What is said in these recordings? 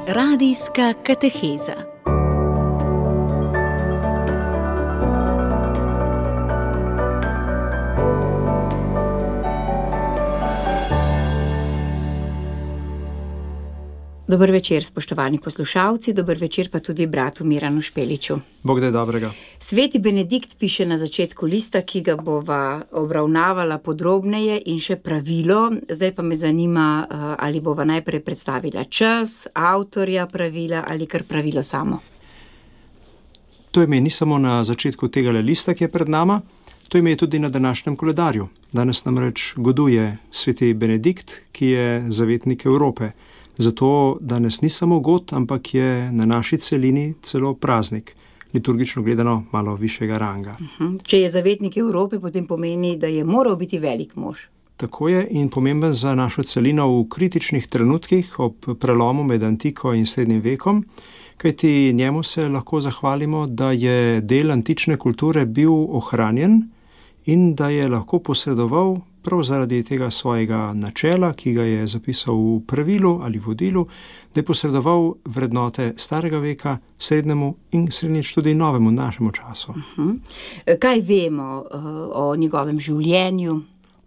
Radijska kateheza. Dober večer, spoštovani poslušalci, dober večer pa tudi bratu Miranu Špeliču. Bog daj dobrega. Sveti Benedikt piše na začetku lista, ki ga bova obravnavala podrobneje in še pravilo. Zdaj pa me zanima, ali bova najprej predstavila čas, avtorja pravila ali kar pravilo samo. To ime ni samo na začetku tega lista, ki je pred nama, to ime je tudi na današnjem koledarju. Danes namreč goduje sveti Benedikt, ki je zavetnik Evrope. Zato danes ni samo god, ampak je na naši celini celo praznik, liturgično gledano malo višjega ranga. Če je zavetnik Evrope, potem pomeni, da je moral biti velik mož. Tako je in pomemben za našo celino v kritičnih trenutkih ob prelomu med antiko in srednjim vekom, kajti njemu se lahko zahvalimo, da je del antične kulture bil ohranjen in da je lahko posredoval prav zaradi tega svojega načela, ki ga je zapisal v pravilu ali vodilu, da je posredoval vrednote starega veka, srednjemu in srednjič tudi novemu našemu času. Kaj vemo o njegovem življenju?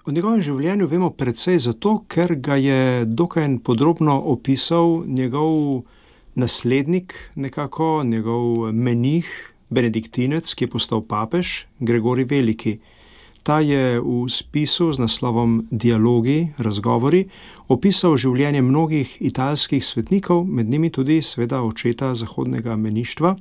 O njegovem življenju vemo precej zato, ker ga je dokaj podrobno opisal njegov naslednik, nekako njegov menih, benediktinec, ki je postal papež, Gregorij Veliki. Ta je v spisu z naslovom Dialogi, razgovori, opisal življenje mnogih italskih svetnikov, med njimi tudi seveda očeta zahodnega meništva.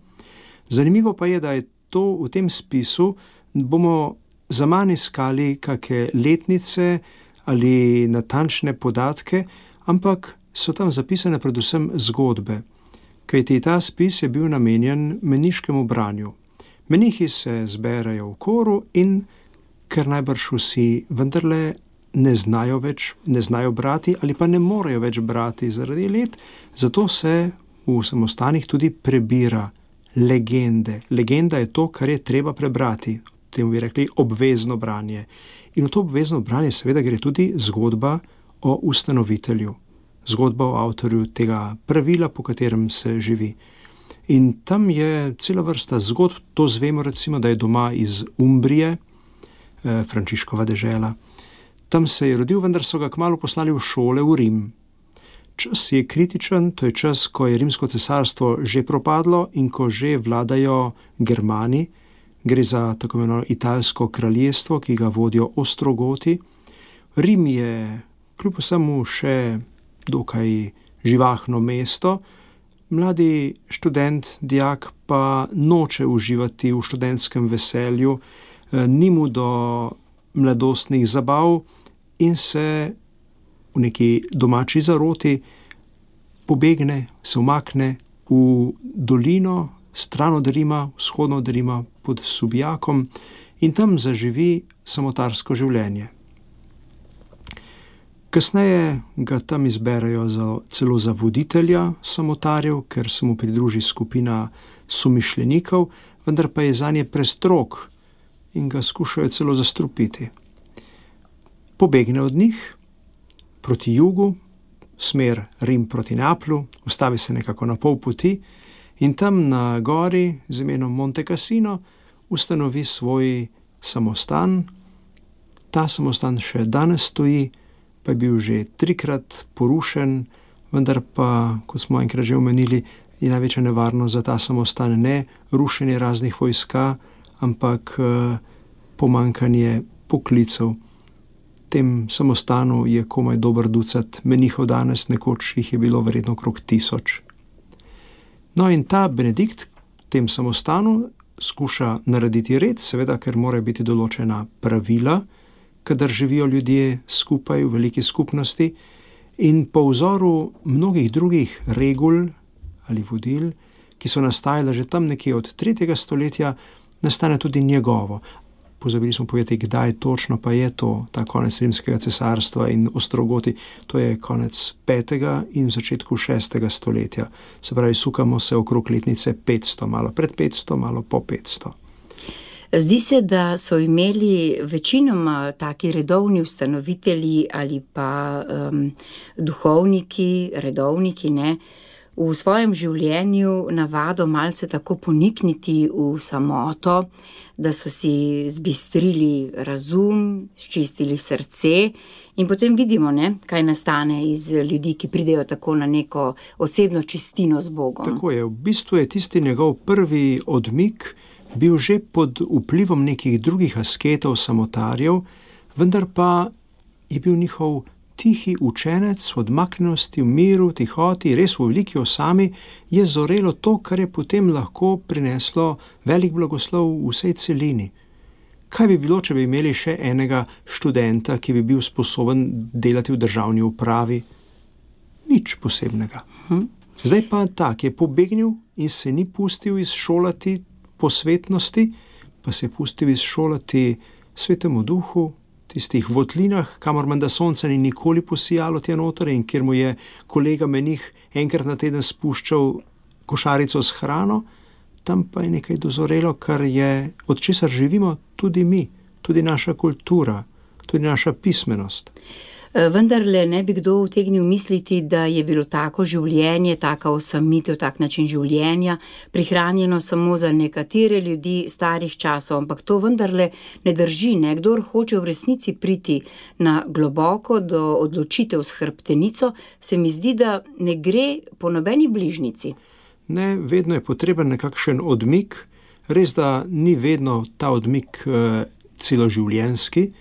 Zanimivo pa je, da je to v tem spisu, bomo zaman iskali kakšne letnice ali natančne podatke, ampak so tam zapisane predvsem zgodbe, kajti ta spis je bil namenjen meniškemu branju. Menihi se zberejo v koru in ker najbrž vsi vendarle ne znajo brati ali pa ne morejo več brati zaradi let, zato se v samostanih tudi prebira legende. Legenda je to, kar je treba prebrati, temu bi rekli obvezno branje. In v to obvezno branje seveda gre tudi zgodba o ustanovitelju, zgodba o avtorju tega pravila, po katerem se živi. In tam je cela vrsta zgodb, to zvemo recimo, da je doma iz Umbrije, Frančiškova dežela. Tam se je rodil, vendar so ga kmalu poslali v šole v Rim. Čas je kritičen, to je čas, ko je Rimsko cesarstvo že propadlo in ko že vladajo Germani. Gre za tako imenovano italsko kraljestvo, ki ga vodijo Ostrogoti. Rim je kljub vsemu še dokaj živahno mesto. Mladi študent, dijak pa noče uživati v študentskem veselju, ni mu do mladostnih zabav in se v neki domači zaroti pobegne, se umakne v dolino, stran od Rima, vzhodno od Rima, pod Subijakom in tam zaživi samotarsko življenje. Kasneje ga tam izberejo celo za voditelja samotarjev, ker se mu pridruži skupina somišljenikov, vendar pa je zanje prestrog in ga skušajo celo zastrupiti. Pobegne od njih proti jugu, smer Rim proti Neaplju, ustavi se nekako na pol poti in tam na gori z imenom Monte Cassino ustanovi svoj samostan. Ta samostan še danes stoji, pa je bil že 3-krat porušen, vendar pa, kot smo enkrat že omenili, je največja nevarnost za ta samostan ne rušenje raznih vojska, ampak pomanjkanje poklicev. V tem samostanu je komaj dober ducat menihov danes, nekoč jih je bilo verjetno okrog 1000. No in ta Benedikt v tem samostanu skuša narediti red, seveda, ker morajo biti določena pravila, kadar živijo ljudje skupaj v veliki skupnosti in po vzoru mnogih drugih regul ali vodil, ki so nastajale že tam nekje od 3. stoletja, nastane tudi njegovo. Pozabili smo povedati, kdaj točno pa je to, ta konec Rimskega cesarstva in Ostrogoti. To je konec 5. in v začetku 6. stoletja. Se pravi, sukamo se okrog letnice 500, malo pred 500, malo po 500. Zdi se, da so imeli večinoma taki redovni ustanovitelji ali pa duhovniki, redovniki, v svojem življenju navado malce tako ponikniti v samoto, da so si zbistrili razum, sčistili srce in potem vidimo, ne, kaj nastane iz ljudi, ki pridejo tako na neko osebno čistino z Bogom. Tako je, v bistvu je tisti njegov prvi odmik bil že pod vplivom nekih drugih asketov, samotarjev, vendar pa je bil njihov tihi učenec, odmaknjenosti v miru, tihoti, res v veliki osami, je zorelo to, kar je potem lahko prineslo velik blagoslov v vsej celini. Kaj bi bilo, če bi imeli še enega študenta, ki bi bil sposoben delati v državni upravi? Nič posebnega. Zdaj pa tak je pobegnil in se ni pustil izšolati po svetnosti, pa se je pustil izšolati Svetemu Duhu, tistih votlinah, kamor menda sonce ni nikoli posijalo tja noter in kjer mu je kolega menih enkrat na teden spuščal košarico s hrano, tam pa je nekaj dozorelo, kar je, od česar živimo tudi mi, tudi naša kultura, tudi naša pismenost. Vendarle ne bi kdo utegnil misliti, da je bilo tako življenje, taka osamitev, tak način življenja prihranjeno samo za nekatere ljudi starih časov, ampak to vendarle ne drži, ne? Kdor hoče v resnici priti na globoko do odločitev s hrbtenico, se mi zdi, da ne gre po nobeni bližnici. Ne, vedno je potreben nekakšen odmik, res da ni vedno ta odmik celoživljenjski,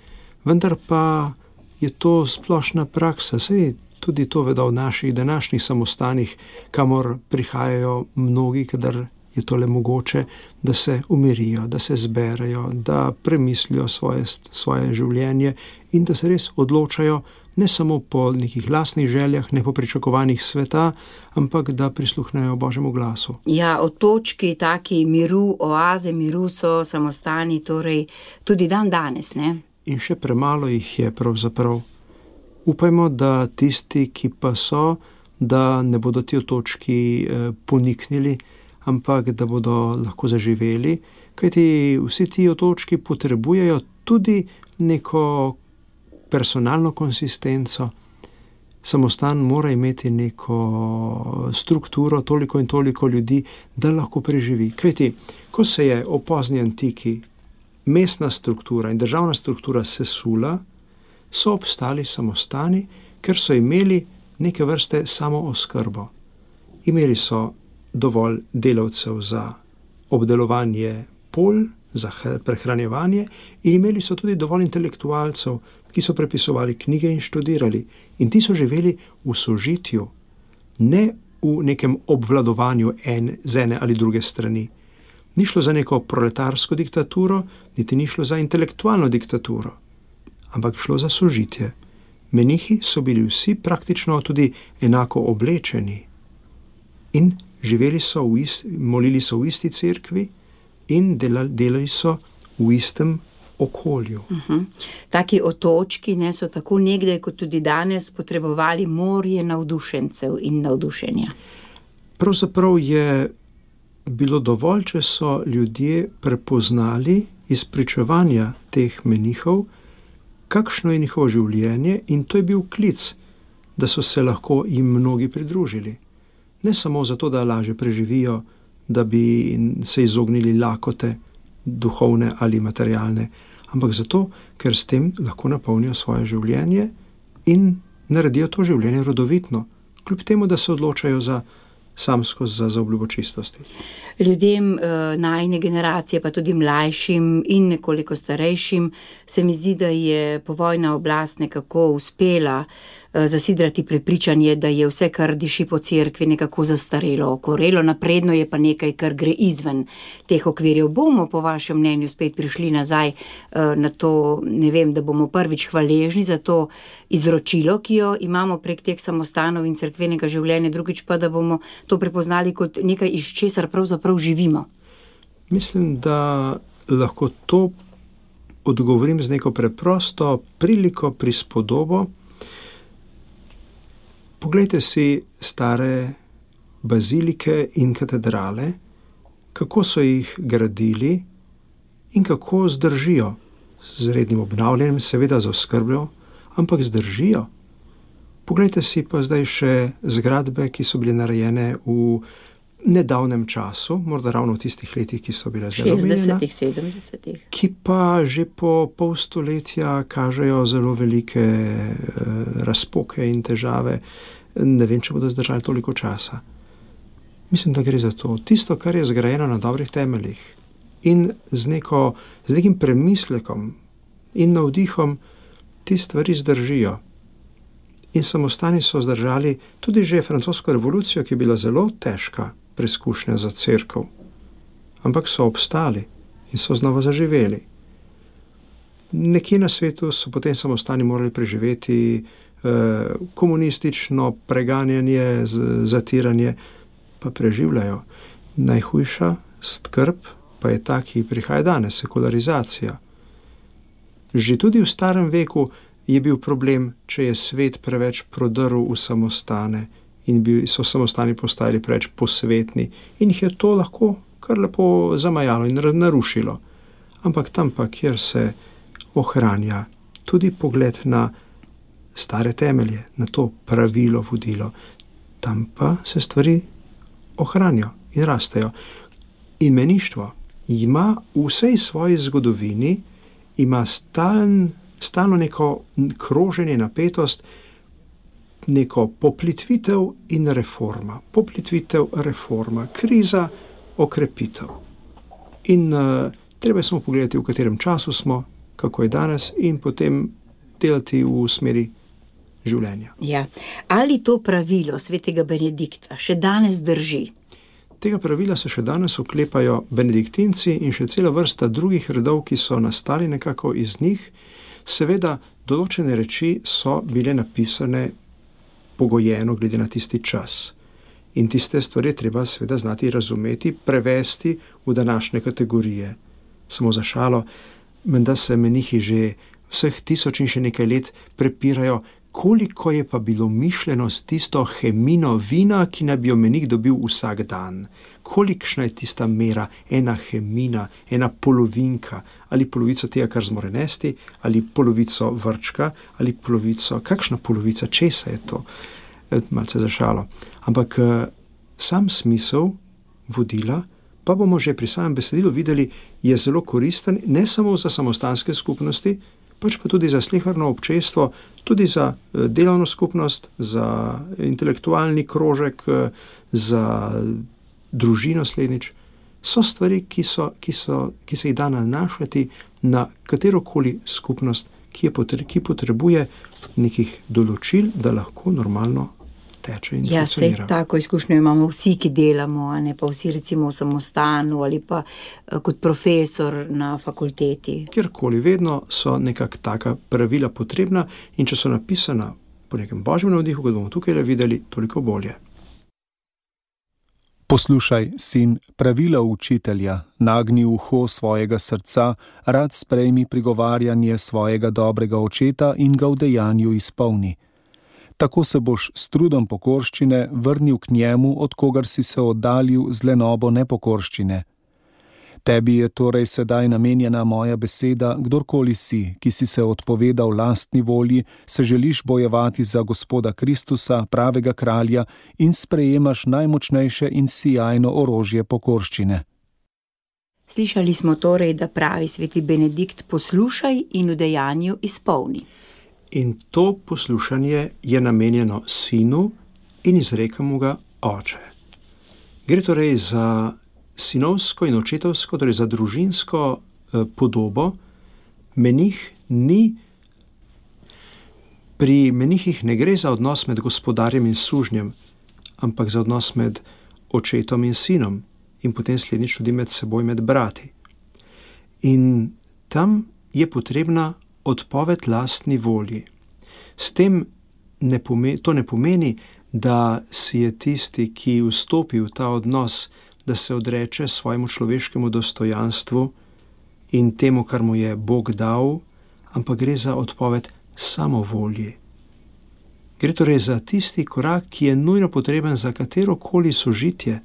vendar pa je to splošna praksa. Saj tudi to vedo v naših današnjih samostanih, kamor prihajajo mnogi, kadar je tole mogoče, da se umirijo, da se zberejo, da premislijo svoje življenje in da se res odločajo ne samo po nekih lastnih željah, ne po pričakovanjih sveta, ampak da prisluhnejo Božjemu glasu. Ja, otočki, taki miru, oaze miru so samostani, torej tudi dan danes, ne? In še premalo jih je pravzaprav. Upajmo, da tisti, ki pa so, da ne bodo ti otočki poniknili, ampak da bodo lahko zaživeli, kajti vsi ti otočki potrebujejo tudi neko personalno konsistenco. Samostan mora imeti neko strukturo, toliko in toliko ljudi, da lahko preživi. Kajti, ko se je v pozni antiki mestna struktura in državna struktura sesula, so obstali samostani, ker so imeli neke vrste samooskrbo. Imeli so dovolj delavcev za obdelovanje polj, za prehranjevanje in imeli so tudi dovolj intelektualcev, ki so prepisovali knjige in študirali. In ti so živeli v sožitju, ne v nekem obvladovanju z ene ali druge strani. Ni šlo za neko proletarsko diktaturo, niti ni šlo za intelektualno diktaturo, ampak šlo za sožitje. Menihi so bili vsi praktično tudi enako oblečeni in živeli so molili so v isti cerkvi in delali so v istem okolju. Taki otočki, ne, so tako nekdaj kot tudi danes potrebovali morje navdušencev in navdušenja. Pravzaprav je bilo dovolj, če so ljudje prepoznali iz pričevanja teh menihov, kakšno je njihovo življenje, in to je bil klic, da so se lahko jim mnogi pridružili. Ne samo zato, da lažje preživijo, da bi se izognili lakote, duhovne ali materialne, ampak zato, ker s tem lahko napolnijo svoje življenje in naredijo to življenje rodovitno, kljub temu, da se odločajo za obljubo čistosti. Ljudem najine generacije, pa tudi mlajšim in nekoliko starejšim, se mi zdi, da je povojna oblast nekako uspela zasidrati prepričanje, da je vse, kar diši po cerkvi, nekako zastarelo, okorelo, napredno je pa nekaj, kar gre izven teh okvirjev. Bomo po vašem mnenju spet prišli nazaj na to, ne vem, da bomo prvič hvaležni za to izročilo, ki jo imamo prek teh samostanov in cerkvenega življenja, drugič pa, da bomo to prepoznali kot nekaj, iz česar pravzaprav živimo. Mislim, da lahko to odgovorim z neko preprosto priliko, prispodobo. Poglejte si stare bazilike in katedrale, kako so jih gradili in kako zdržijo. Z rednim obnavljanjem, seveda z oskrbo, ampak zdržijo. Poglejte si pa zdaj še zgradbe, ki so bile narejene v nedavnem času, morda ravno v tistih letih, ki so bile zelo omenjena, 60-ih, 70-ih. ki pa že po pol stoletja kažejo zelo velike razpoke in težave. Ne vem, če bodo zdržali toliko časa. Mislim, da gre za to. Tisto, kar je zgrajeno na dobrih temeljih in z nekim premislekom in navdihom, te stvari zdržijo. In samostani so zdržali tudi že francosko revolucijo, ki je bila zelo težka preizkušnja za cerkev. Ampak so obstali in so znova zaživeli. Nekje na svetu so potem samostani morali preživeti komunistično preganjanje, zatiranje, pa preživljajo. Najhujša skrb pa je ta, ki prihaja danes, sekularizacija. Že tudi v starem veku je bil problem, če je svet preveč prodrl v samostane in so samostani postajali preveč posvetni in jih je to lahko kar lepo zamajalo in narušilo. Ampak tam pa, kjer se ohranja tudi pogled na stare temelje, na to pravilo, vodilo, tam pa se stvari ohranijo in rastejo. In meništvo ima v vsej svoji zgodovini ima stalno neko kroženje, napetost, neko poplitvitev in reforma. Poplitvitev, reforma, kriza, okrepitev. In treba je samo pogledati, v katerem času smo, kako je danes in potem delati v smeri življenja. Ja. Ali to pravilo svetega Benedikta še danes drži? Tega pravila se še danes oklepajo benediktinci in še cela vrsta drugih redov, ki so nastali nekako iz njih. Seveda, določene reči so bile napisane pogojeno glede na tisti čas. In tiste stvari treba seveda znati razumeti, prevesti v današnje kategorije. Samo za šalo, menda se menihi že vseh 1000 in še nekaj let prepirajo, koliko je pa bilo mišljeno s tisto hemino vina, ki naj bi jo menik dobil vsak dan. Kolikšna je tista mera, ena hemina, ena polovinka, ali polovica tega, kar zmore nesti, ali polovico vrčka, ali polovico, kakšna polovica, česa je to? Malce za šalo. Ampak sam smisel vodila, pa bomo že pri samem besedilu videli, je zelo koristen, ne samo za samostanske skupnosti, pač pa tudi za sleherno občestvo, tudi za delovno skupnost, za intelektualni krožek, za družino slednjič. So stvari, ki se jih da nanašati na katerokoli skupnost, ki potrebuje nekih določil, da lahko normalno teče in funkcionira. Ja, tako izkušnjo imamo vsi, ki delamo, a ne pa vsi recimo v samostanu ali pa kot profesor na fakulteti. Kjerkoli, vedno so nekak taka pravila potrebna in če so napisana po nekem božjem navdihu, kot bomo tukaj videli, toliko bolje. Poslušaj, sin, pravila učitelja, nagni uho svojega srca, rad sprejmi prigovarjanje svojega dobrega očeta in ga v dejanju izpolni. Tako se boš s trudom pokorščine vrnil k njemu, od kogar si se oddaljil z lenobo nepokorščine. Tebi je torej sedaj namenjena moja beseda, kdorkoli si, ki si se odpovedal lastni volji, se želiš bojevati za Gospoda Kristusa, pravega kralja, in sprejemaš najmočnejše in sijajno orožje pokorščine. Slišali smo torej, da pravi sveti Benedikt, poslušaj in v dejanju izpolni. In to poslušanje je namenjeno sinu in izreka mu ga oče. Gre torej za sinovsko in očetovsko, torej za družinsko podobo. Pri menihih ne gre za odnos med gospodarjem in sužnjem, ampak za odnos med očetom in sinom in potem slednjič tudi med seboj, med brati. In tam je potrebna odpoved lastni volji. S tem to ne pomeni, da si je tisti, ki vstopi v ta odnos, da se odreče svojemu človeškemu dostojanstvu in temu, kar mu je Bog dal, ampak gre za odpoved samovolji. Gre torej za tisti korak, ki je nujno potreben za katerokoli sožitje.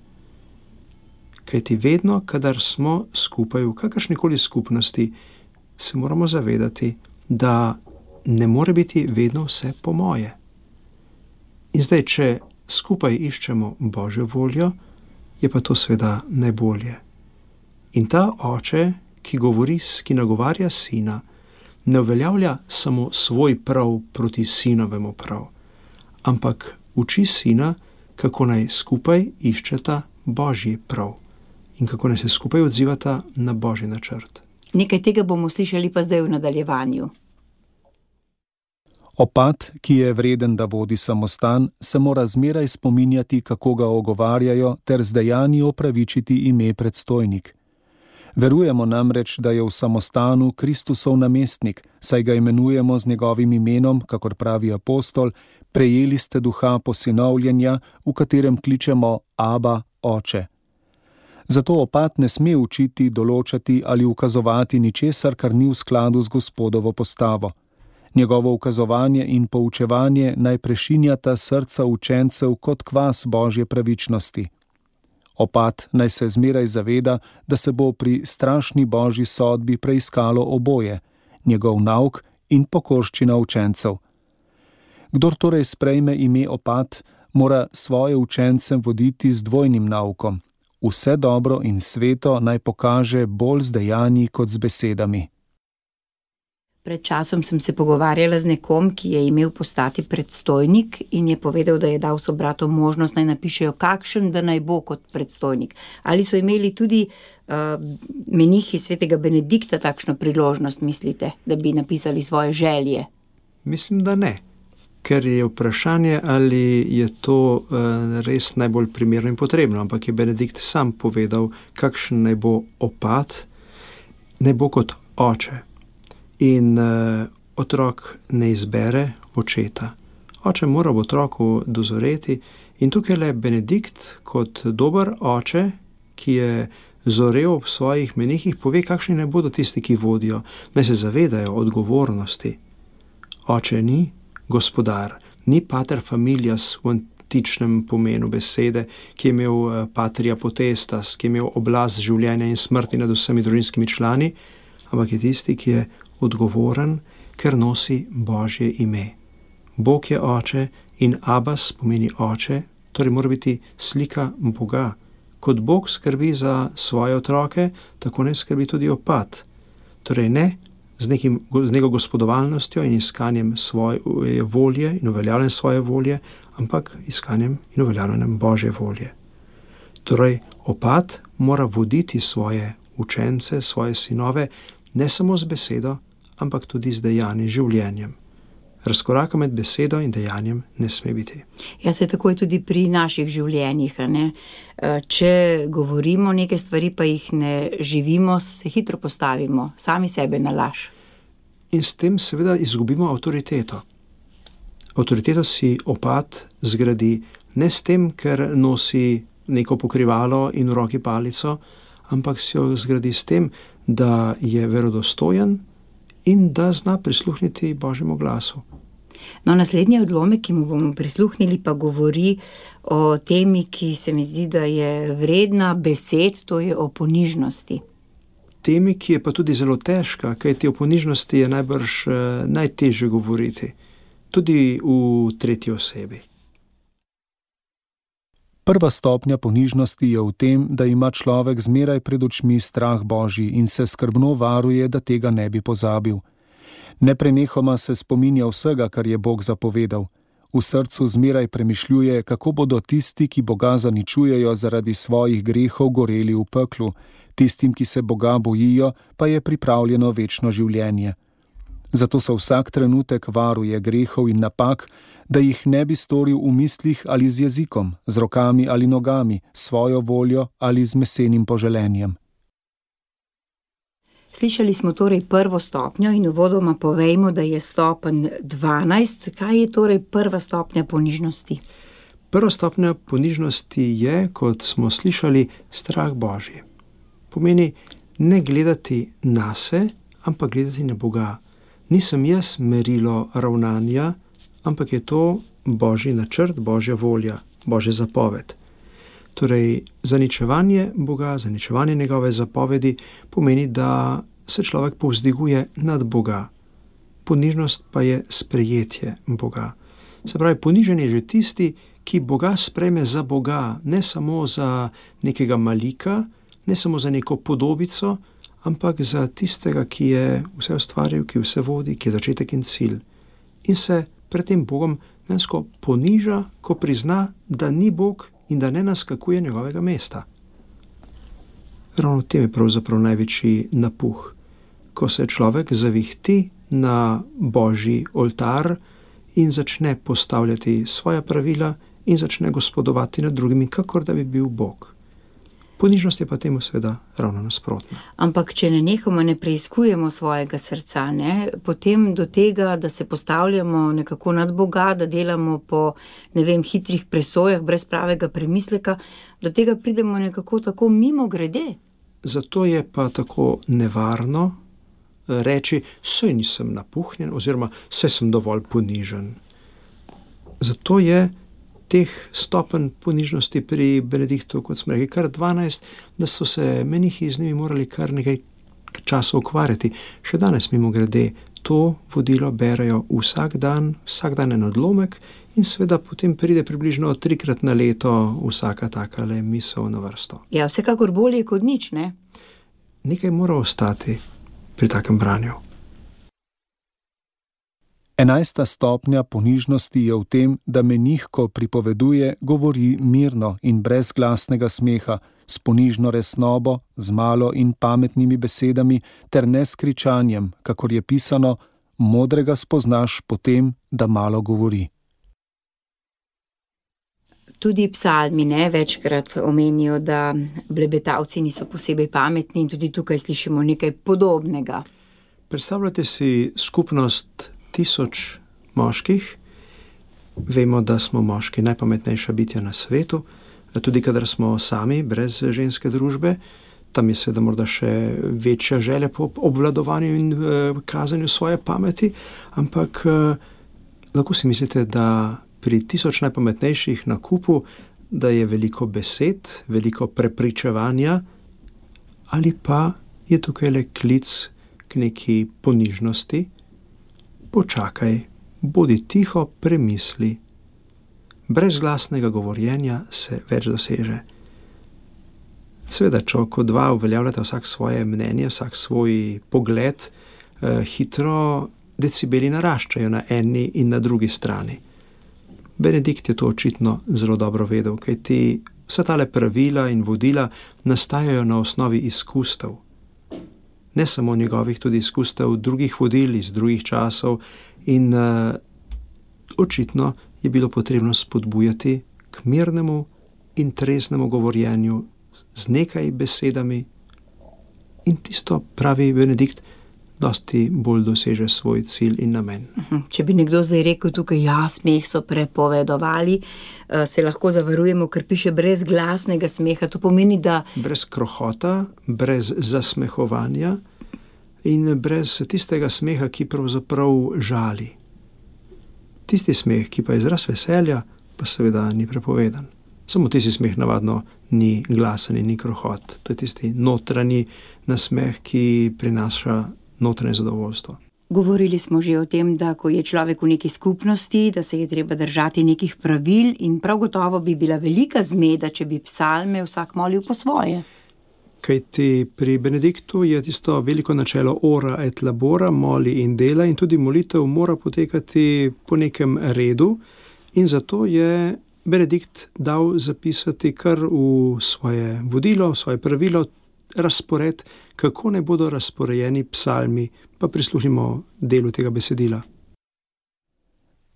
Kajti vedno, kadar smo skupaj v kakršnikoli skupnosti, se moramo zavedati, da ne more biti vedno vse po moje. In zdaj, če skupaj iščemo Božjo voljo, je pa to seveda najbolje. In ta oče, ki nagovarja sina, ne uveljavlja samo svoj prav proti sinovemu prav, ampak uči sina, kako naj skupaj iščeta Božji prav in kako naj se skupaj odzivata na Božji načrt. Nekaj tega bomo slišali pa zdaj v nadaljevanju. Opat, ki je vreden, da vodi samostan, se mora zmeraj spominjati, kako ga ogovarjajo, ter z dejanji opravičiti ime predstojnik. Verujemo namreč, da je v samostanu Kristusov namestnik, saj ga imenujemo z njegovim imenom, kakor pravi apostol, prejeli ste duha posinovljenja, v katerem kličemo Aba, Oče. Zato opat ne sme učiti, določati ali ukazovati ničesar, kar ni v skladu z Gospodovo postavo. Njegovo ukazovanje in poučevanje naj prešinjata srca učencev kot kvas Božje pravičnosti. Opat naj se zmeraj zaveda, da se bo pri strašni Božji sodbi preiskalo oboje, njegov nauk in pokorščina učencev. Kdor torej sprejme ime opat, mora svoje učence voditi z dvojnim naukom. Vse dobro in sveto naj pokaže bolj z dejanji kot z besedami. Pred časom sem se pogovarjala z nekom, ki je imel postati predstojnik in je povedal, da je dal sobratom možnost, naj napišejo, kakšen da naj bo kot predstojnik. Ali so imeli tudi menihi svetega Benedikta takšno priložnost, mislite, da bi napisali svoje želje? Mislim, da ne. Ker je vprašanje, ali je to res najbolj primerno in potrebno, ampak je Benedikt sam povedal, kakšen naj bo opat, naj bo kot oče. In otrok ne izbere očeta. Oče mora v otroku dozoreti in tukaj le Benedikt kot dober oče, ki je zorel ob svojih menihih, pove, kakšni naj bodo tisti, ki vodijo, naj se zavedajo odgovornosti. Oče ni gospodar, ni pater familias v antičnem pomenu besede, ki je imel patria potestas, ki je imel oblast življenja in smrti nad vsemi družinskimi člani, ampak je tisti, ki je odgovoren, ker nosi Božje ime. Bog je oče in Abas pomeni oče, torej mora biti slika Boga. Kot Bog skrbi za svoje otroke, tako ne skrbi tudi opat. Torej ne z neko gospodovalnostjo in iskanjem svoje volje in uveljavljanjem svoje volje, ampak iskanjem in uveljavljanjem Božje volje. Torej opat mora voditi svoje učence, svoje sinove, ne samo z besedo, ampak tudi z dejanjem, življenjem. Razkoraka med besedo in dejanjem ne sme biti. Ja, se tako je tudi pri naših življenjih, ne? Če govorimo neke stvari, pa jih ne živimo, se hitro postavimo, sami sebe na laž. In s tem seveda izgubimo avtoriteto. Avtoriteto si opat zgradi ne s tem, ker nosi neko pokrivalo in v roki palico, ampak si jo zgradi s tem, da je verodostojen in da zna prisluhniti Božjemu glasu. No, naslednji odlomek, ki mu bomo prisluhnili, pa govori o temi, ki se mi zdi, da je vredna besed, to je o ponižnosti. Temi, ki je pa tudi zelo težka, kajti o ponižnosti je najbrž najtežje govoriti, tudi v tretji osebi. Prva stopnja ponižnosti je v tem, da ima človek zmeraj pred očmi strah Božji in se skrbno varuje, da tega ne bi pozabil. Neprenehoma se spominja vsega, kar je Bog zapovedal. V srcu zmeraj premišljuje, kako bodo tisti, ki Boga zaničujejo zaradi svojih grehov, goreli v peklu, tistim, ki se Boga bojijo, pa je pripravljeno večno življenje. Zato se vsak trenutek varuje grehov in napak, da jih ne bi storil v mislih ali z jezikom, z rokami ali nogami, svojo voljo ali z mesenim poželenjem. Slišali smo torej prvo stopnjo in uvodoma povejmo, da je stopenj 12. Kaj je torej prva stopnja ponižnosti? Prva stopnja ponižnosti je, kot smo slišali, strah Božji. Pomeni ne gledati nase, ampak gledati na Boga. Nisem jaz merilo ravnanja, ampak je to Božji načrt, Božja volja, Božja zapoved. Torej, zaničevanje Boga, zaničevanje njegove zapovedi pomeni, da se človek povzdiguje nad Boga. Ponižnost pa je sprejetje Boga. Se pravi, ponižen je že tisti, ki Boga sprejme za Boga, ne samo za nekega malika, ne samo za neko podobico, ampak za tistega, ki je vse ustvaril, ki vse vodi, ki je začetek in cilj. In se pred tem Bogom dejansko poniža, ko prizna, da ni Bog in da ne naskakuje njegovega mesta. Ravno v tem je pravzaprav največji napuh, ko se človek zavihti na Božji oltar in začne postavljati svoja pravila in začne gospodovati nad drugimi, kakor da bi bil Bog. Ponižnost je pa temu seveda ravno nasprotna. Ampak če nenehoma ne preiskujemo svojega srca, potem do tega, da se postavljamo nekako nad Boga, da delamo po, hitrih presojah, brez pravega premisleka, do tega pridemo nekako tako mimo grede. Zato je pa tako nevarno reči, saj nisem napuhnjen oziroma saj sem dovolj ponižen. Zato je teh stopenj ponižnosti pri Benediktu, kot smo rekli, kar 12, da so se menihi z njimi morali kar nekaj časa ukvarjati. Še danes mimogrede to vodilo berejo vsak dan en odlomek in seveda potem pride približno 3-krat na leto vsaka takale misel na vrsto. Ja, vsekakor bolje kot nič, ne? Nekaj mora ostati pri takem branju. 11. stopnja ponižnosti je v tem, da menih, ko pripoveduje, govori mirno in brez glasnega smeha, s ponižno resnobo, z malo in pametnimi besedami ter ne s kričanjem, kakor je pisano, modrega spoznaš po tem, da malo govori. Tudi psalmi večkrat omenijo, da blebetavci niso posebej pametni in tudi tukaj slišimo nekaj podobnega. Predstavljate si skupnost 1000 moških. Vemo, da smo moški najpametnejša bitja na svetu, tudi kadar smo sami, brez ženske družbe. Tam je seveda morda še večja želja po obvladovanju in kazanju svoje pameti, ampak lahko si mislite, da pri 1000 najpametnejših na kupu, da je veliko besed, veliko prepričevanja, ali pa je tukaj le klic k neki ponižnosti. Počakaj, bodi tiho, premisli. Brez glasnega govorjenja se več doseže. Seveda, če kot dva uveljavljate vsak svoje mnenje, vsak svoj pogled, hitro decibeli naraščajo na eni in na drugi strani. Benedikt je to očitno zelo dobro vedel, kajti vsa tale pravila in vodila nastajajo na osnovi izkustev. Ne samo njegovih, tudi izkustev drugih vodil iz drugih časov in očitno je bilo potrebno spodbujati k mirnemu in treznemu govorjenju z nekaj besedami in tisto, pravi Benedikt, dosti bolj doseže svoj cilj in namen. Če bi nekdo zdaj rekel tukaj, smeh so prepovedovali, se lahko zavarujemo, ker piše brez glasnega smeha. To pomeni, da brez krohota, brez zasmehovanja in brez tistega smeha, ki pravzaprav žali. Tisti smeh, ki pa je izraz veselja, pa seveda ni prepovedan. Samo tisti smeh navadno ni glasen in ni krohot. To je tisti notranji nasmeh, ki prinaša notranje zadovoljstvo. Govorili smo že o tem, da ko je človek v neki skupnosti, da se je treba držati nekih pravil in prav gotovo bi bila velika zmeda, če bi psalme vsak molil po svoje. Kajti pri Benediktu je tisto veliko načelo ora et labora, moli in dela in tudi molitev mora potekati po nekem redu in zato je Benedikt dal zapisati kar v svoje vodilo, v svoje pravilo, razpored, kako ne bodo razporejeni psalmi, pa prisluhnimo delu tega besedila.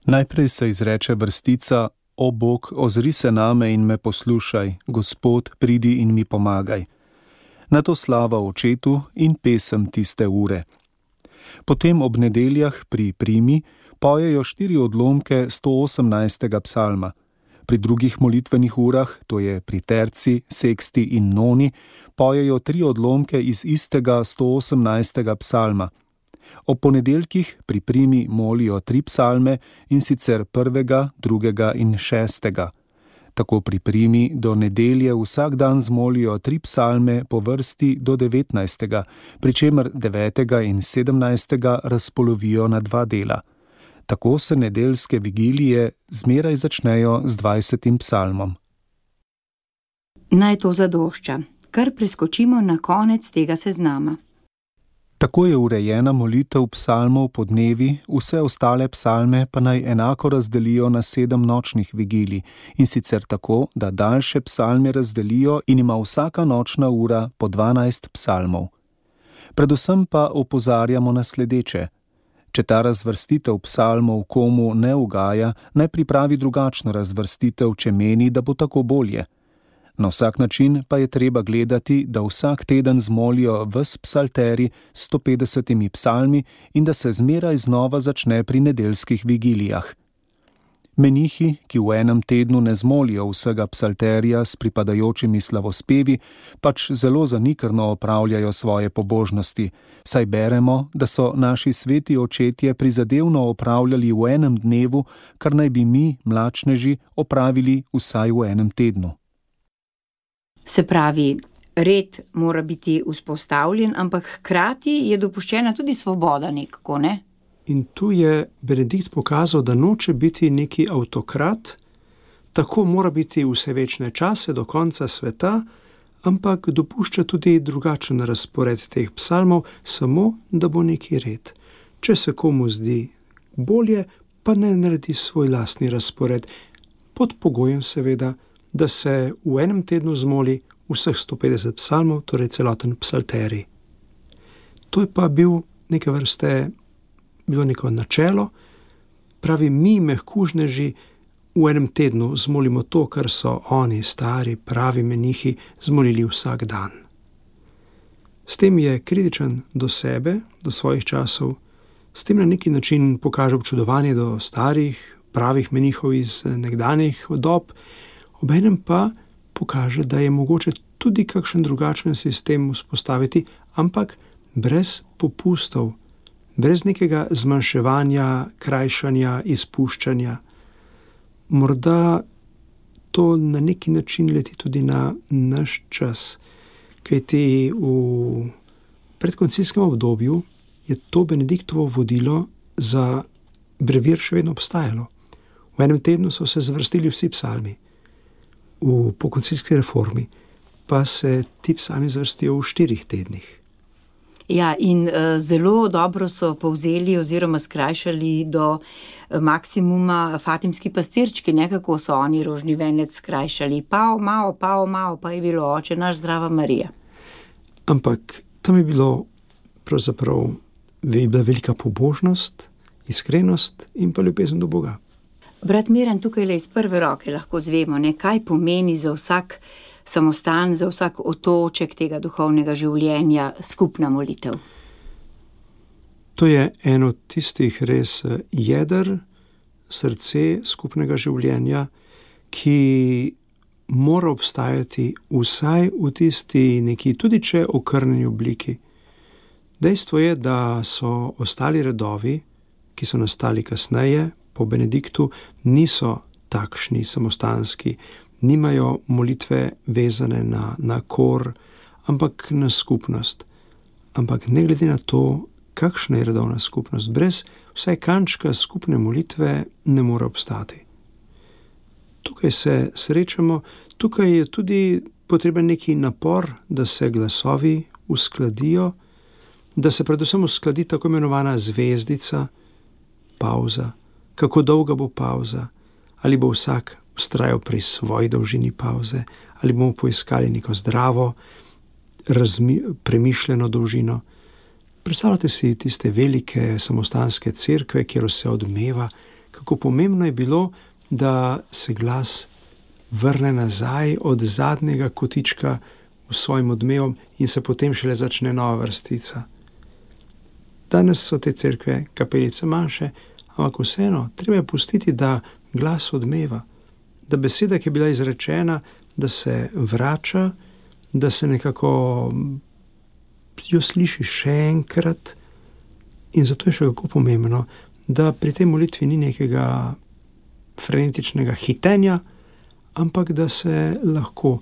Najprej se izreče vrstica: O Bog, ozri se name in me poslušaj, Gospod, pridi in mi pomagaj. Nato slava Očetu in pesem tiste ure. Potem ob nedeljah pri primi pojejo 4 odlomke 118. psalma. Pri drugih molitvenih urah, to je pri terci, seksti in noni, pojejo 3 odlomke iz istega 118. psalma. Ob ponedeljkih pri primi molijo 3 psalme, in sicer 1., 2. in 6. Tako pri primi do nedelje vsak dan zmolijo 3 psalme po vrsti do 19., pri čemer 9. in 17. razpolovijo na 2 dela. Tako se nedeljske vigilije zmeraj začnejo z 20. psalmom. Naj to zadošča, kar preskočimo na konec tega seznama. Tako je urejena molitev psalmov po dnevi, vse ostale psalme pa naj enako razdelijo na 7 nočnih vigilij, in sicer tako, da daljše psalme razdelijo in ima vsaka nočna ura po 12 psalmov. Predvsem pa opozarjamo na sledeče. Če ta razvrstitev psalmov komu ne ugaja, naj pripravi drugačno razvrstitev, če meni, da bo tako bolje. Na vsak način pa je treba gledati, da vsak teden zmolijo ves psalteri s 150 psalmi in da se zmeraj znova začne pri nedeljskih vigilijah. Menihi, ki v enem tednu ne zmolijo vsega psalterija s pripadajočimi slavospevi, pač zelo zanikrno opravljajo svoje pobožnosti, saj beremo, da so naši sveti očetje prizadevno opravljali v enem dnevu, kar naj bi mi, mlačneži, opravili vsaj v enem tednu. Se pravi, red mora biti vzpostavljen, ampak hkrati je dopuščena tudi svoboda nekako, ne? In tu je Benedikt pokazal, da noče biti neki avtokrat, tako mora biti vse večne čase do konca sveta, ampak dopušča tudi drugačen razpored teh psalmov, samo da bo neki red. Če se komu zdi bolje, pa ne naredi svoj lastni razpored, pod pogojem seveda, da se v enem tednu zmoli vseh 150 psalmov, torej celoten psalterij. To je pa bilo neko načelo, pravi, mi mehkužneži v enem tednu zmolimo to, kar so oni, stari, pravi menihi, zmolili vsak dan. S tem je kritičen do sebe, do svojih časov, s tem na neki način pokaže občudovanje do starih, pravih menihov iz nekdanjih dob, obenem pa pokaže, da je mogoče tudi kakšen drugačen sistem vzpostaviti, ampak brez popustov, brez nekega zmanjševanja, krajšanja, izpuščanja. Morda to na neki način leti tudi na naš čas, kajti v predkoncilskem obdobju je to Benediktovo vodilo za brevir še vedno obstajalo. V enem tednu so se zvrstili vsi psalmi. V pokoncilski reformi pa se ti psalmi zvrstijo v 4 tednih. Ja, in zelo dobro so povzeli oziroma skrajšali do maksimuma fatimski pastirčki, nekako so oni rožni venec skrajšali. Pao, mao, pa je bilo Oče naš, zdrava Marija. Ampak tam je bilo pravzaprav bila velika pobožnost, iskrenost in pa ljubezen do Boga. Brat Miran, tukaj le iz prve roke lahko zvemo, kaj pomeni za vsak samostan, za vsak otoček tega duhovnega življenja skupna molitev. To je eno tistih res jeder, srce skupnega življenja, ki mora obstajati vsaj v tisti neki, tudi če okrnjeni obliki. Dejstvo je, da so ostali redovi, ki so nastali kasneje, po Benediktu, niso takšni samostanski, nimajo molitve vezane na kor, ampak na skupnost. Ampak ne glede na to, kakšna je redovna skupnost, brez vsaj kančka skupne molitve ne more obstati. Tukaj se srečamo, tukaj je tudi potreben neki napor, da se glasovi uskladijo, da se predvsem uskladi tako imenovana zvezdica, pauza. Kako dolga bo pauza, ali bo vsak vztrajal pri svoji dolžini pauze, ali bomo poiskali neko zdravo, premišljeno dolžino. Predstavljate si tiste velike samostanske cerkve, kjer se odmeva, kako pomembno je bilo, da se glas vrne nazaj od zadnjega kotička v svojim odmevom in se potem šele začne nova vrstica. Danes so te cerkve kapelice manjše, ampak vseeno, treba je pustiti, da glas odmeva, da beseda, ki je bila izrečena, da se vrača, da se nekako jo sliši še enkrat. In zato je še kako pomembno, da pri tej molitvi ni nekega frenetičnega hitenja, ampak da se lahko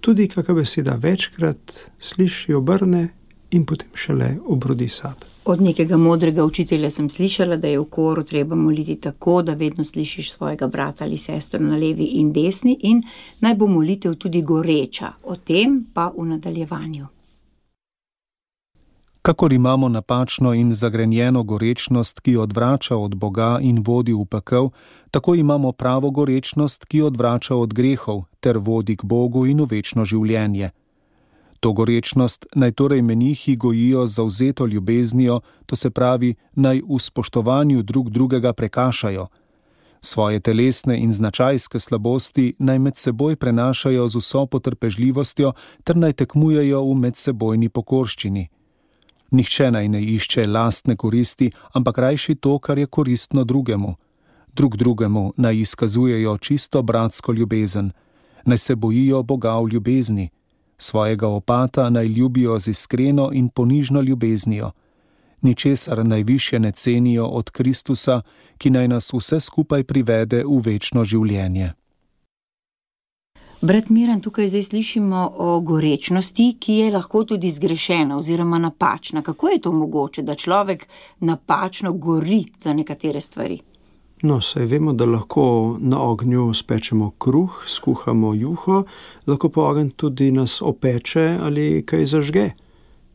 tudi kakšna beseda večkrat sliši, obrne in potem šele obrodi sad. Od nekega modrega učitelja sem slišala, da je v koru treba moliti tako, da vedno slišiš svojega brata ali sestro na levi in desni in naj bo molitev tudi goreča. O tem pa v nadaljevanju. Kakor imamo napačno in zagrenjeno gorečnost, ki odvrača od Boga in vodi v pekel, tako imamo pravo gorečnost, ki odvrača od grehov ter vodi k Bogu in v večno življenje. To gorečnost naj torej menihi gojijo z zavzeto ljubeznijo, to se pravi, naj v spoštovanju drug drugega prekašajo. Svoje telesne in značajske slabosti naj med seboj prenašajo z vso potrpežljivostjo ter naj tekmujejo v medsebojni pokorščini. Nihče naj ne išče lastne koristi, ampak rajši to, kar je koristno drugemu. Drugemu naj izkazujejo čisto bratsko ljubezen. Naj se bojijo Boga v ljubezni. Svojega opata naj ljubijo z iskreno in ponižno ljubeznijo. Ničesar najvišje ne cenijo od Kristusa, ki naj nas vse skupaj privede v večno življenje. Brat Miran, tukaj zdaj slišimo o gorečnosti, ki je lahko tudi zgrešena oziroma napačna. Kako je to mogoče, da človek napačno gori za nekatere stvari? No, saj vemo, da lahko na ognju spečemo kruh, skuhamo juho, lahko pa ogenj tudi nas opeče ali kaj zažge.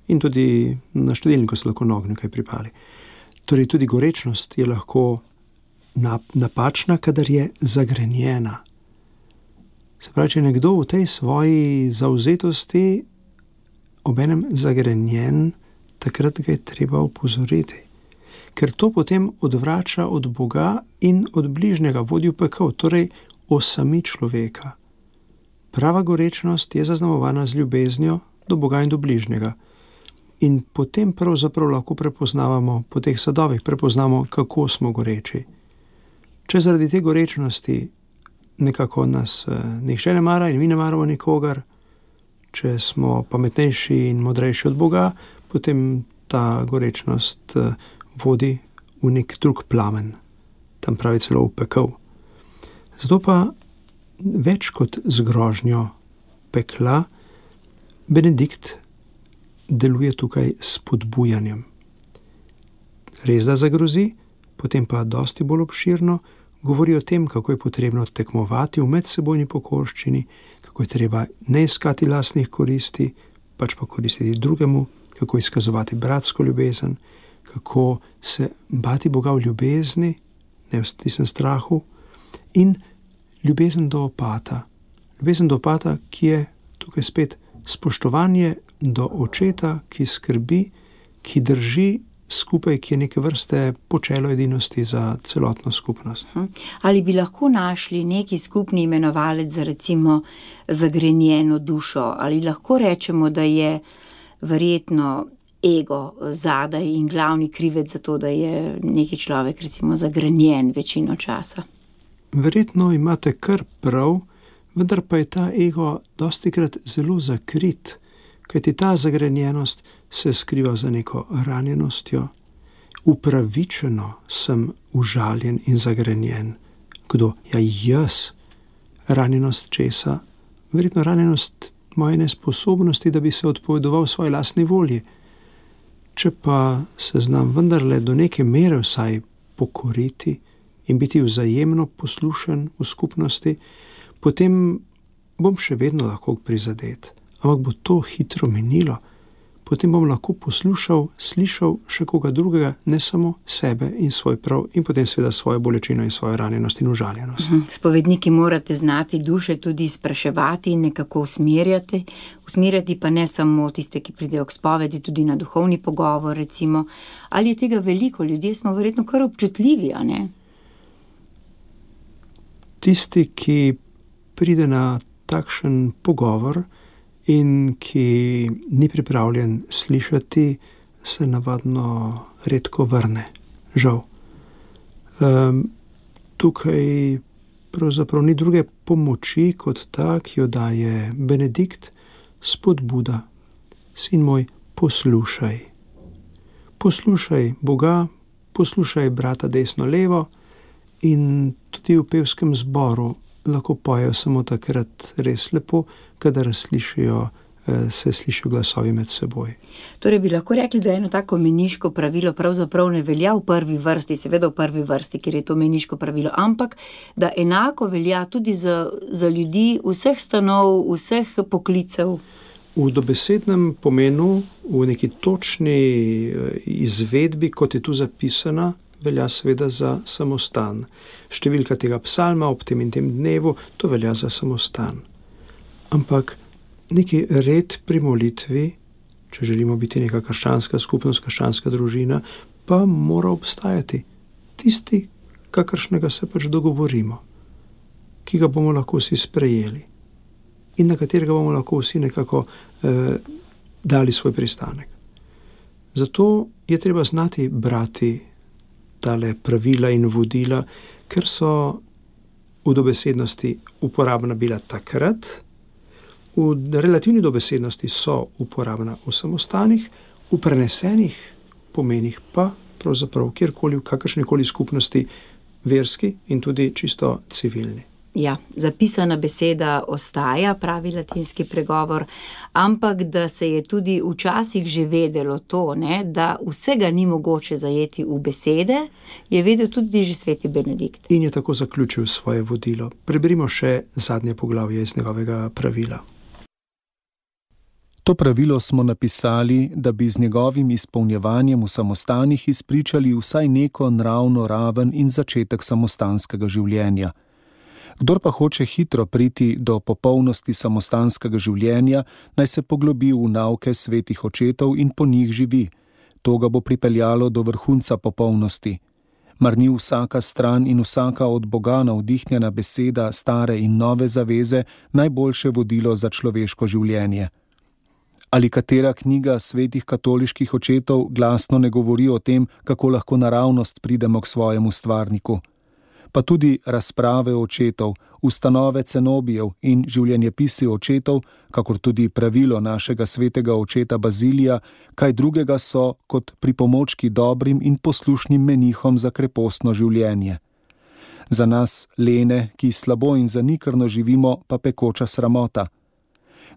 In tudi na štedilniku se lahko na ognju kaj pripali. Torej tudi gorečnost je lahko napačna, kadar je zagrenjena. Se pravi, če je nekdo v tej svoji zavzetosti obenem zagrenjen, takrat ga je treba opozoriti. Ker to potem odvrača od Boga in od bližnjega, vodi v pekel, torej osami človeka. Prava gorečnost je zaznamovana z ljubeznijo do Boga in do bližnjega. In potem pravzaprav lahko prepoznavamo, po teh sadovih prepoznamo, kako smo goreči. Če zaradi te gorečnosti nekako nas nihče ne mara in mi ne maramo nikogar, če smo pametnejši in modrejši od Boga, potem ta gorečnost vodi v nek drug plamen, tam pravi celo v pekel. Zato pa več kot z grožnjo pekla, Benedikt deluje tukaj s spodbujanjem. Res da zagrozi, potem pa dosti bolj obširno govori o tem, kako je potrebno tekmovati v medsebojni pokorščini, kako je treba ne iskati lastnih koristi, pač pa koristiti drugemu, kako izkazovati bratsko ljubezen, kako se bati Boga v ljubezni, ne v tistem strahu, in ljubezen do opata. Ljubezen do opata, ki je tukaj spet spoštovanje do očeta, ki skrbi, ki drži skupaj, ki je neke vrste počelo edinosti za celotno skupnost. Ali bi lahko našli neki skupni imenovalec za recimo zagrenjeno dušo? Ali lahko rečemo, da je verjetno ego zadaj in glavni krivec za to, da je neki človek recimo zagrenjen večino časa? Verjetno imate kar prav, vendar pa je ta ego dostikrat zelo zakrit, kajti ta zagrenjenost se skriva za neko ranjenostjo. Upravičeno sem užaljen in zagrenjen. Kdo? Ja, jaz. Ranjenost česa? Verjetno ranjenost moje nesposobnosti, da bi se odpovedoval svoji lastni volji. Če pa se znam vendarle do neke mere vsaj pokoriti in biti vzajemno poslušen v skupnosti, potem bom še vedno lahko prizadet. Ampak bo to hitro minilo. Potem bom lahko poslušal, slišal še koga drugega, ne samo sebe in svoj prav, in potem seveda svojo bolečino in svojo ranjenost in užaljenost. Spovedniki morate znati duše tudi spraševati in nekako usmerjati pa ne samo tiste, ki pridejo k spovedi, tudi na duhovni pogovor recimo. Ali je tega veliko? Ljudje smo verjetno kar občutljivi, a ne? Tisti, ki pride na takšen pogovor in ki ni pripravljen slišati, se navadno redko vrne. Žal. Tukaj pravzaprav ni druge pomoči kot ta, ki jo daje Benedikt, spodbuda. Sin moj, poslušaj. Poslušaj Boga, poslušaj brata desno levo in tudi v pevskem zboru lahko pojejo samo takrat res lepo, kadar slišijo se slišijo glasovi med seboj. Torej bi lahko rekli, da eno tako meniško pravilo pravzaprav ne velja v prvi vrsti, seveda v prvi vrsti, ker je to meniško pravilo, ampak da enako velja tudi za ljudi vseh stanov, vseh poklicev. V dobesednem pomenu, v neki točni izvedbi, kot je tu zapisana, velja seveda za samostan. Številka tega psalma ob tem in tem dnevu, to velja za samostan. Ampak neki red pri molitvi, če želimo biti neka krščanska skupnost, krščanska družina, pa mora obstajati. Tisti, kakršnega se pač dogovorimo, ki ga bomo lahko vsi sprejeli in na katerega bomo lahko vsi nekako dali svoj pristanek. Zato je treba znati brati tale pravila in vodila, ker so v dobesednosti uporabna bila takrat, v relativni dobesednosti so uporabna v samostanih, v prenesenih pomenih pa pravzaprav kjerkoli, v kakršnikoli skupnosti, verski in tudi čisto civilni. Ja, zapisana beseda ostaja, pravi latinski pregovor, ampak da se je tudi včasih že vedelo to, ne, da vsega ni mogoče zajeti v besede, je vedel tudi že sveti Benedikt. In je tako zaključil svoje vodilo. Preberimo še zadnje poglavje iz njegovega pravila. To pravilo smo napisali, da bi z njegovim izpolnjevanjem v samostanih izpričali vsaj neko nravno raven in začetek samostanskega življenja. Kdor pa hoče hitro priti do popolnosti samostanskega življenja, naj se poglobi v nauke svetih očetov in po njih živi. To ga bo pripeljalo do vrhunca popolnosti. Mar ni vsaka stran in vsaka od Boga navdihnjena beseda stare in nove zaveze najboljše vodilo za človeško življenje? Ali katera knjiga svetih katoliških očetov glasno ne govori o tem, kako lahko naravnost pridemo k svojemu stvarniku? Pa tudi razprave očetov, ustanove cenobijev in življenjepisi očetov, kakor tudi pravilo našega svetega očeta Bazilija, kaj drugega so kot pripomočki dobrim in poslušnim menihom za krepostno življenje. Za nas, lene, ki slabo in zanikrno živimo, pa pekoča sramota.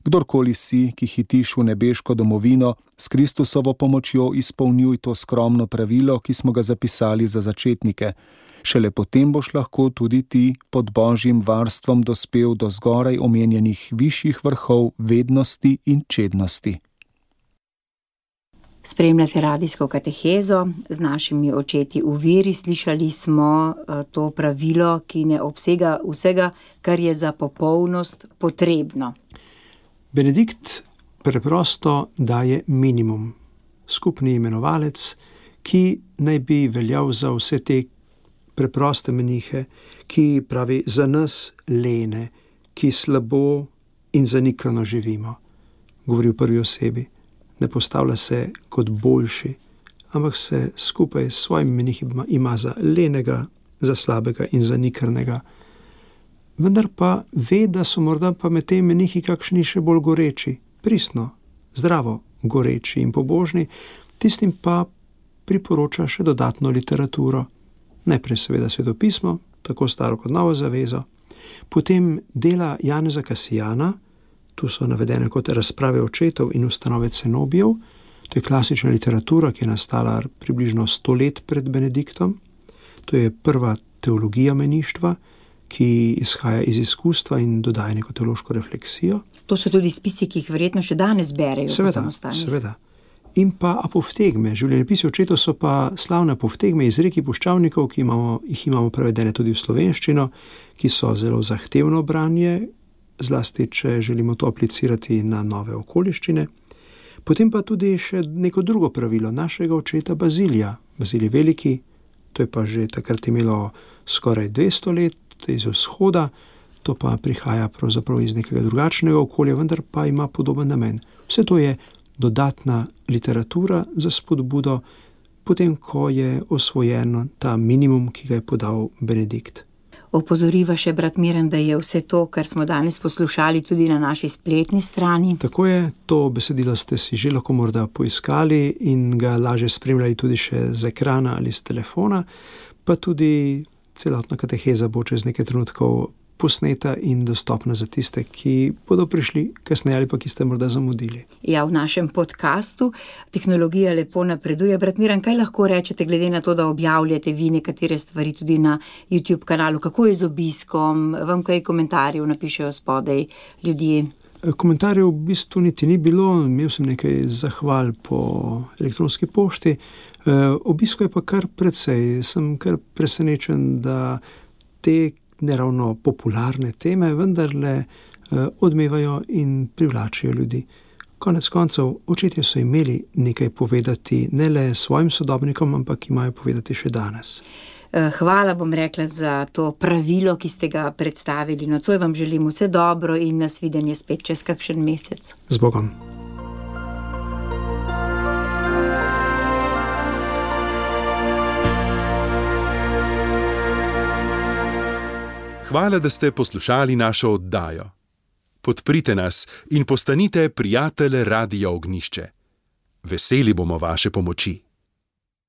Kdorkoli si, ki hitiš v nebeško domovino, s Kristusovo pomočjo izpolnjuj to skromno pravilo, ki smo ga zapisali za začetnike. Šele potem boš lahko tudi ti pod Božjim varstvom dospel do zgoraj omenjenih višjih vrhov vednosti in čednosti. Spremljate radijsko katehezo z našimi očeti v veri. Slišali smo to pravilo, ki ne obsega vsega, kar je za popolnost potrebno. Benedikt preprosto daje minimum, skupni imenovalec, ki naj bi veljal za vse te preproste menihe, ki pravi za nas lene, ki slabo in zanikrno živimo. Govori v prvi osebi, ne postavlja se kot boljši, ampak se skupaj s svojimi menihi ima za lenega, za slabega in zanikrnega. Vendar pa ve, da so morda pa med temi menihi kakšni še bolj goreči, pristno, zdravo goreči in pobožni, tistim pa priporoča še dodatno literaturo. Najprej seveda svetopismo, tako staro kot novo zavezo, potem dela Janeza Kasijana, tu so navedene kot razprave očetov in ustanove cenobijev, to je klasična literatura, ki je nastala približno 100 let pred Benediktom, to je prva teologija meništva, ki izhaja iz izkustva in dodaja neko teološko refleksijo. To so tudi spisi, ki jih verjetno še danes berejo po samostanih. Seveda. In pa apoftegme, življenjepisi očetov so pa slavne apoftegme iz reki puščavnikov, ki jih imamo prevedene tudi v slovenščino, ki so zelo zahtevno branje, zlasti če želimo to aplicirati na nove okoliščine. Potem pa tudi še neko drugo pravilo našega očeta Bazilija. Bazilij Veliki, to je pa že takrat imelo skoraj 200 let, iz vzhoda, to pa prihaja pravzaprav iz nekega drugačnega okolja, vendar pa ima podoben namen. Vse to je dodatna literatura za spodbudo, potem ko je osvojen ta minimum, ki ga je podal Benedikt. Opozoriva še brat Miran, da je vse to, kar smo danes poslušali, tudi na naši spletni strani. Tako je, to besedilo ste si že lahko morda poiskali in ga lažje spremljali tudi še z ekrana ali z telefona, pa tudi celotna kateheza bo čez nekaj trenutkov posneta in dostopna za tiste, ki bodo prišli kasneje ali pa ki ste morda zamudili. Ja, v našem podcastu tehnologija lepo napreduje. Brat Miran, kaj lahko rečete, glede na to, da objavljate vi nekatere stvari tudi na YouTube kanalu? Kako je z obiskom? Vam kaj komentarjev napišejo spodaj ljudje? Komentarjev v bistvu niti ni bilo, imel sem nekaj zahval po elektronski pošti. Obisko je pa kar precej. Sem kar presenečen, da te neravno popularne teme vendarle odmevajo in privlačijo ljudi. Konec koncev, očetje so imeli nekaj povedati ne le svojim sodobnikom, ampak imajo povedati še danes. Hvala, bom rekla, za to pravilo, ki ste ga predstavili. Nocoj vam želim vse dobro in nasvidenje spet čez kakšen mesec. Z Bogom. Hvala, da ste poslušali našo oddajo. Podprite nas in postanite prijatelj Radia Ognjišče. Veseli bomo vaše pomoči.